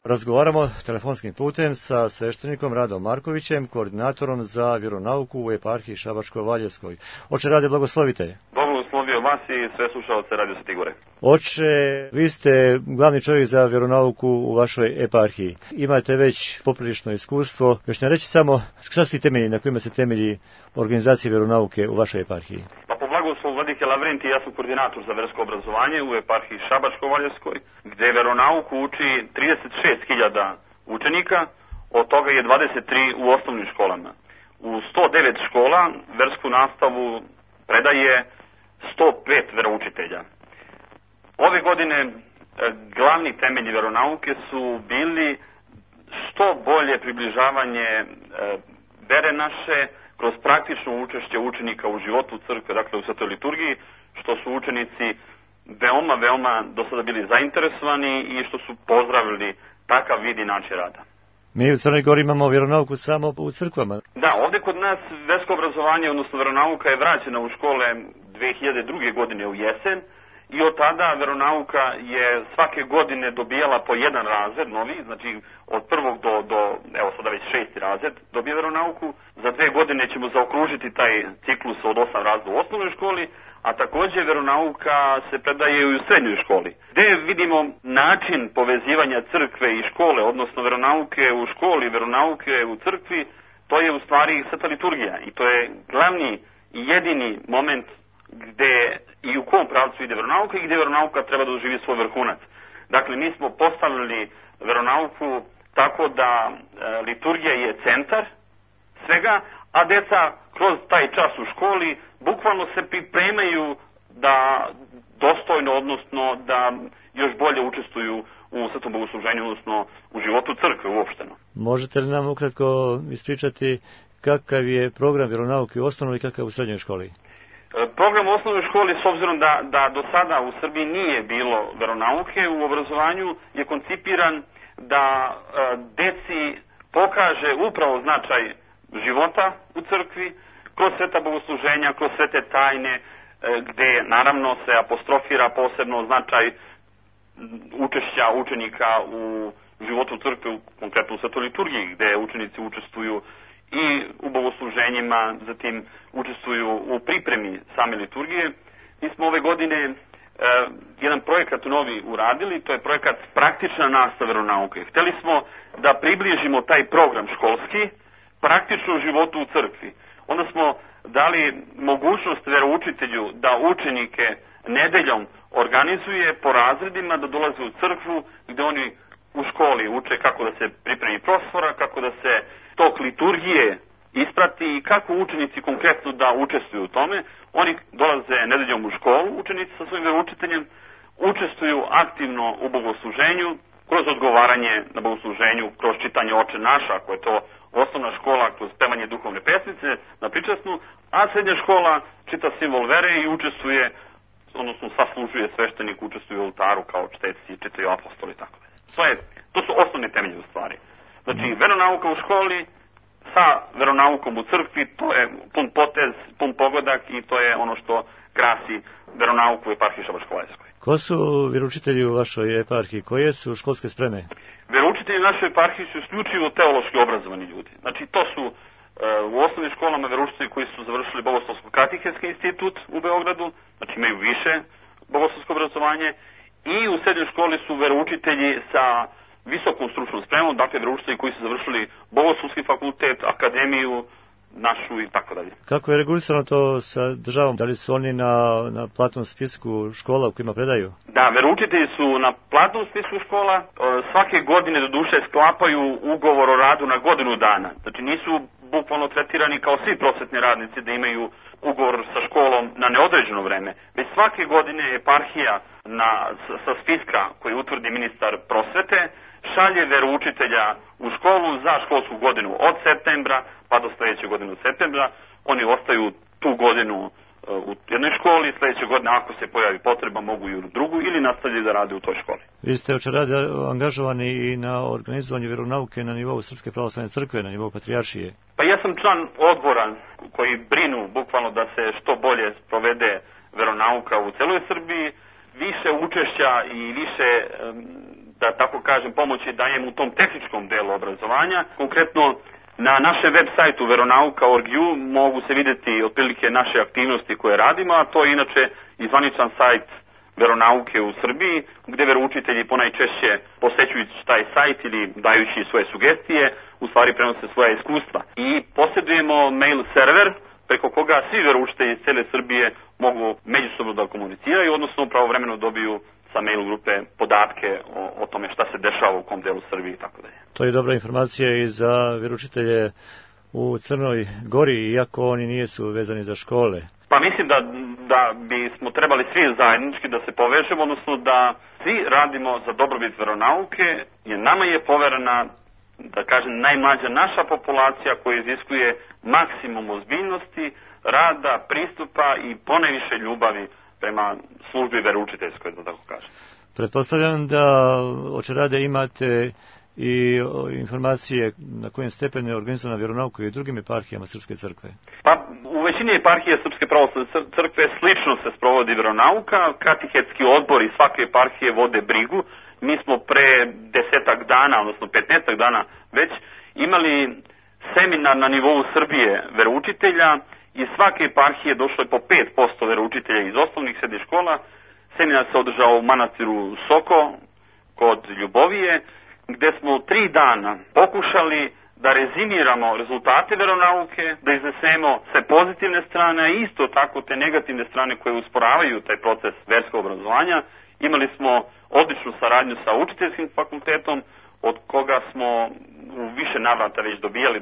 Razgovaramo telefonskim putem sa sveštenikom Radom Markovićem, koordinatorom za vjeronauku u eparhiji Šabačko-Valjevskoj. Oče Rade, blagoslovite. Bog blagoslovio vas i sve slušalce Radio Sveti Gore. Oče, vi ste glavni čovjek za vjeronauku u vašoj eparhiji. Imate već poprilično iskustvo. Još ne reći samo šta su ti temelji na kojima se temelji organizacije vjeronauke u vašoj eparhiji? Pa po blagoslovu vladike Lavrentija, ja sam koordinator za versko obrazovanje u eparhiji Šabačko-Valjevskoj, gde vjeronauku uči 36.000 učenika, od toga je 23 u osnovnim školama. U 109 škola versku nastavu predaje 105 veroučitelja. Ove godine glavni temelji veronauke su bili što bolje približavanje vere naše kroz praktično učešće učenika u životu crkve, dakle u svetoj liturgiji, što su učenici veoma do sada bili zainteresovani i što su pozdravili takav vid i način rada. Mi u Crnoj Gori imamo vjeronauku samo u crkvama. Da, ovdje kod nas versko obrazovanje, odnosno vjeronauka je vraćena u škole 2002. godine u jesen i od tada vjeronauka je svake godine dobijala po jedan razred novi, znači od prvog do evo sada već 6. razred dobije vjeronauku. Za 2 godine ćemo zaokružiti taj ciklus od 8 razreda u osnovnoj školi, a također vjeronauka se predaje i u srednjoj školi. Gde vidimo način povezivanja crkve i škole, odnosno vjeronauke u školi, vjeronauke u crkvi, to je u stvari sveta liturgija i to je glavni i jedini moment gde i u kom pravcu ide vjeronauka i gde vjeronauka treba da doživi svoj vrhunac. Dakle, mi smo postavili vjeronauku tako da liturgija je centar svega, a deca kroz taj čas u školi bukvalno se pripremaju da dostojno, odnosno da još bolje učestvuju u svetom bogosluženju, odnosno u životu crkve uopšteno. Možete li nam ukratko ispričati kakav je program vjeronauke u osnovnoj i kakav u srednjoj školi? Program u osnovnoj školi, s obzirom da do sada u Srbiji nije bilo vjeronauke u obrazovanju, je koncipiran da deci pokaže upravo značaj života u crkvi, kroz sveta bogosluženja, kroz svete tajne, gde naravno se apostrofira posebno značaj učešća učenika u životu crkve, konkretno u svetoj liturgiji, gde učenici učestvuju i u bogosluženjima, zatim učestvuju u pripremi same liturgije. Mi smo ove godine jedan projekat novi uradili, to je projekat praktična nastava vjeronauke. Hteli smo da približimo taj program školski praktično životu u crkvi. Onda smo dali mogućnost veroučitelju da učenike nedeljom organizuje po razredima, da dolaze u crkvu gde oni u školi uče kako da se pripremi prostora, kako da se tok liturgije isprati i kako učenici konkretno da učestvuju u tome. Oni dolaze nedeljom u školu, učenici sa svojim veroučiteljem, učestvuju aktivno u bogosluženju, kroz odgovaranje na bogosluženju, kroz čitanje Oče naš, ako je to osnovna škola, kroz pevanje duhovne pesmice na pričasnu, a srednja škola čita simbol vere i učestvuje, odnosno saslužuje sveštenik, učestvuje u oltaru kao čteci, čitaju apostoli i tako dalje. To su osnovne temelje u stvari. Znači, veronauka u školi sa veronaukom u crkvi, to je pun potez, pun pogodak i to je ono što krasi veronauku u eparhiji Šabačko-Valjevskoj. Ko su vjeroučitelji u vašoj eparhiji? Koje su školske spreme? Veroučitelji u našoj eparhiji su isključivo teološki obrazovani ljudi. Znači, to su u osnovnim školama veroučitelji koji su završili Bogoslovsko-katehetski institut u Beogradu, znači imaju više bogoslovsko obrazovanje, i u srednjoj školi su veroučitelji sa visokom stručnom spremom, dakle veroučitelji koji su završili Bogoslovski fakultet, akademiju našu i tako dalje. Kako je regulisano to sa državom? Da li su oni na platnom spisku škola u kojima predaju? Da, veroučitelji su na platnom spisku škola. Svake godine do duše sklapaju ugovor o radu na godinu dana. Znači nisu bukvalno tretirani kao svi prosvetni radnici da imaju ugovor sa školom na neodređeno vreme. Već svake godine eparhija sa spiska koji utvrdi ministar prosvete šalje veroučitelja u školu za školsku godinu od septembra pa do sledeće godine od septembra. Oni ostaju tu godinu u jednoj školi, sledeće godine ako se pojavi potreba mogu i u drugu ili nastavljaju da rade u toj školi. Vi ste oče Rade angažovani i na organizovanju vjeronauke na nivou Srpske pravoslavne crkve, na nivou patrijaršije. Pa ja sam član odbora koji brinu bukvalno da se što bolje sprovede veronauka u celoj Srbiji, više učešća i više da tako kažem, pomoći dajem u tom tehničkom delu obrazovanja. Konkretno, na našem web sajtu veronauka.org.u mogu se vidjeti otprilike naše aktivnosti koje radimo, a to je inače i zvaničan sajt veronauke u Srbiji, gde veroučitelji ponajčešće posećujući taj sajt ili dajući svoje sugestije, u stvari prenose svoja iskustva. I posjedujemo mail server preko koga svi veroučitelji iz cele Srbije mogu međusobno da komuniciraju, odnosno pravovremeno dobiju sa mail grupe podatke o tome šta se dešava u kom delu Srbije i tako dalje. To je dobra informacija i za veroučitelje u Crnoj Gori, iako oni nisu vezani za škole. Pa mislim da bismo trebali svi zajednički da se povežemo, odnosno da svi radimo za dobrobit veronauke, jer nama je poverena, da kažem, najmlađa naša populacija koja iziskuje maksimum ozbiljnosti, rada, pristupa i ponajviše ljubavi prema službi veroučiteljskoj, da tako kažem. Pretpostavljam da očerade imate i informacije na kojem stepenu je organizovana vjeronauka i u drugim eparhijama Srpske crkve. Pa u većini eparhije Srpske pravoslavne crkve slično se sprovodi vjeronauka, katehetski odbori svake eparhije vode brigu. Mi smo pre 10 dana, odnosno 15 dana već imali seminar na nivou Srbije veroučitelja. Iz svake eparhije došlo je po 5% veroučitelja iz osnovnih srednjih škola. Seminar se održao u manastiru Soko kod Ljubovije, gde smo 3 dana pokušali da rezimiramo rezultate veronauke, da iznesemo sve pozitivne strane, a isto tako te negativne strane koje usporavaju taj proces verskog obrazovanja. Imali smo odličnu saradnju sa učiteljskim fakultetom, od koga smo u više navrata već dobijali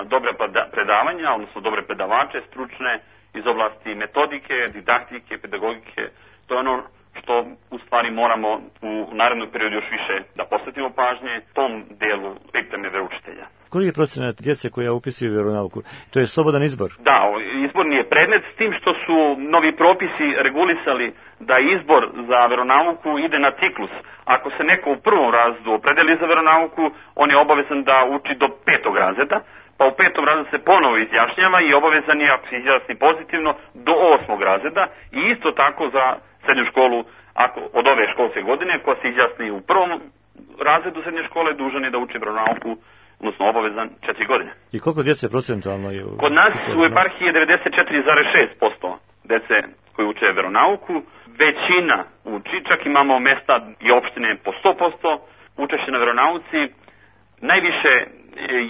dobre predavanja, odnosno dobre predavače stručne iz oblasti metodike, didaktike, pedagogike. To je ono što u stvari moramo u narednom periodu još više da posvetimo pažnje tom delu pripreme veroučitelja. Koji je procenat djece koja upisuju vjeronauku? To je slobodan izbor? Da, izborni je predmet, s tim što su novi propisi regulisali da izbor za veronauku ide na ciklus. Ako se neko u prvom razredu opredeli za veronauku, on je obavezan da uči do 5. razreda, pa u 5. razredu se ponovo izjašnjava i obavezan je, ako se izjasni pozitivno, do 8. razreda i isto tako za srednju školu, ako od ove školske godine, ko se izjasni u prvom razredu srednje škole, dužan je da uči veronauku, odnosno obavezan 4 godine. I koliko djece procentualno je? Kod nas u eparhiji je 94,6% djece koji uče veronauku. Većina uči, čak imamo mesta i opštine po 100% učešće na veronauci. Najviše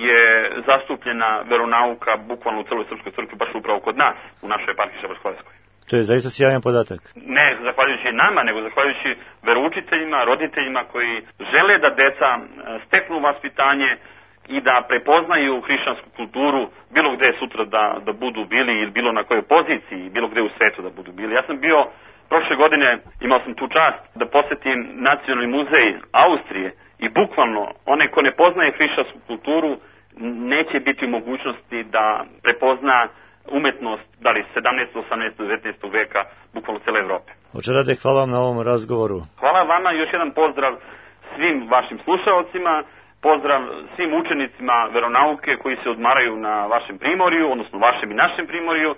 je zastupljena veronauka bukvalno u celoj Srpskoj crkvi, baš upravo kod nas, u našoj eparhiji Šabačko-Hrvatskoj. To je zaista sjajan podatak. Ne zahvaljujući nama, nego zahvaljujući veroučiteljima, roditeljima koji žele da deca steknu vaspitanje i da prepoznaju hrišćansku kulturu bilo gde sutra da budu bili ili bilo na kojoj poziciji, bilo gde u svetu da budu bili. Ja sam bio prošle godine, imao sam tu čast da posetim Nacionalni muzej Austrije i bukvalno onaj ko ne poznaje hrišćansku kulturu neće biti u mogućnosti da prepozna umetnost, da li 17., 18., 19. veka, bukvalno cele Evrope. Očerade, hvala vam na ovom razgovoru. Hvala vama, još jedan pozdrav svim vašim slušaocima, pozdrav svim učenicima veronauke koji se odmaraju na vašem primorju, odnosno vašem i našem primorju,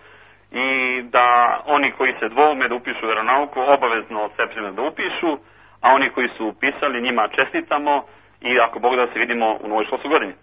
i da oni koji se dvoume da upišu veronauku obavezno od septembra da upišu, a oni koji su upisali njima čestitamo i ako Bog da se vidimo u novoj školskoj godini.